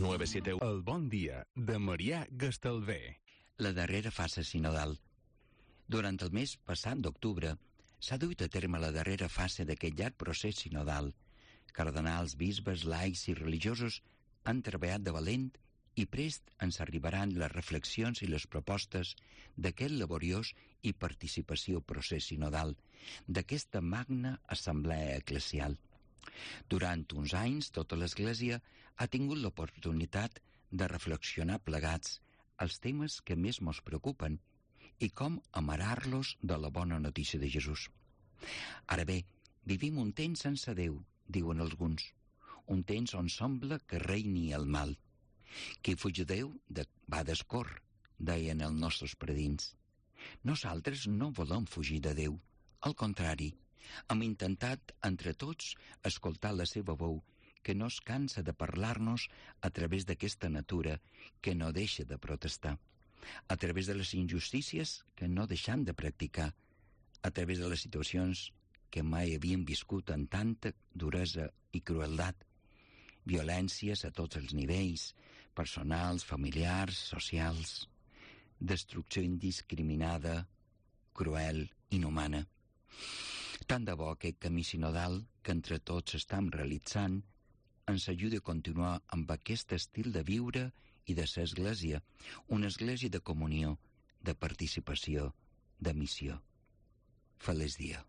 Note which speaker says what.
Speaker 1: 971. El bon dia de Marià Gastalver.
Speaker 2: La darrera fase sinodal. Durant el mes passat d'octubre s'ha duit a terme la darrera fase d'aquest llarg procés sinodal. Cardenals, bisbes, laics i religiosos han treballat de valent i prest ens arribaran les reflexions i les propostes d'aquest laboriós i participació procés sinodal, d'aquesta magna assemblea eclesial. Durant uns anys, tota l'Església ha tingut l'oportunitat de reflexionar plegats els temes que més mos preocupen i com amarar-los de la bona notícia de Jesús. Ara bé, vivim un temps sense Déu, diuen alguns, un temps on sembla que reini el mal. Qui fuig de Déu va d'escor, deien els nostres predins. Nosaltres no volem fugir de Déu, al contrari, hem intentat entre tots escoltar la seva veu, que no es cansa de parlar-nos a través d'aquesta natura que no deixa de protestar, a través de les injustícies que no deixam de practicar, a través de les situacions que mai havien viscut amb tanta duresa i crueldat, violències a tots els nivells, personals, familiars, socials, destrucció indiscriminada, cruel, inhumana. Tant de bo aquest camí sinodal que entre tots estem realitzant ens ajuda a continuar amb aquest estil de viure i de ser església, una església de comunió, de participació, de missió. Feliç dia.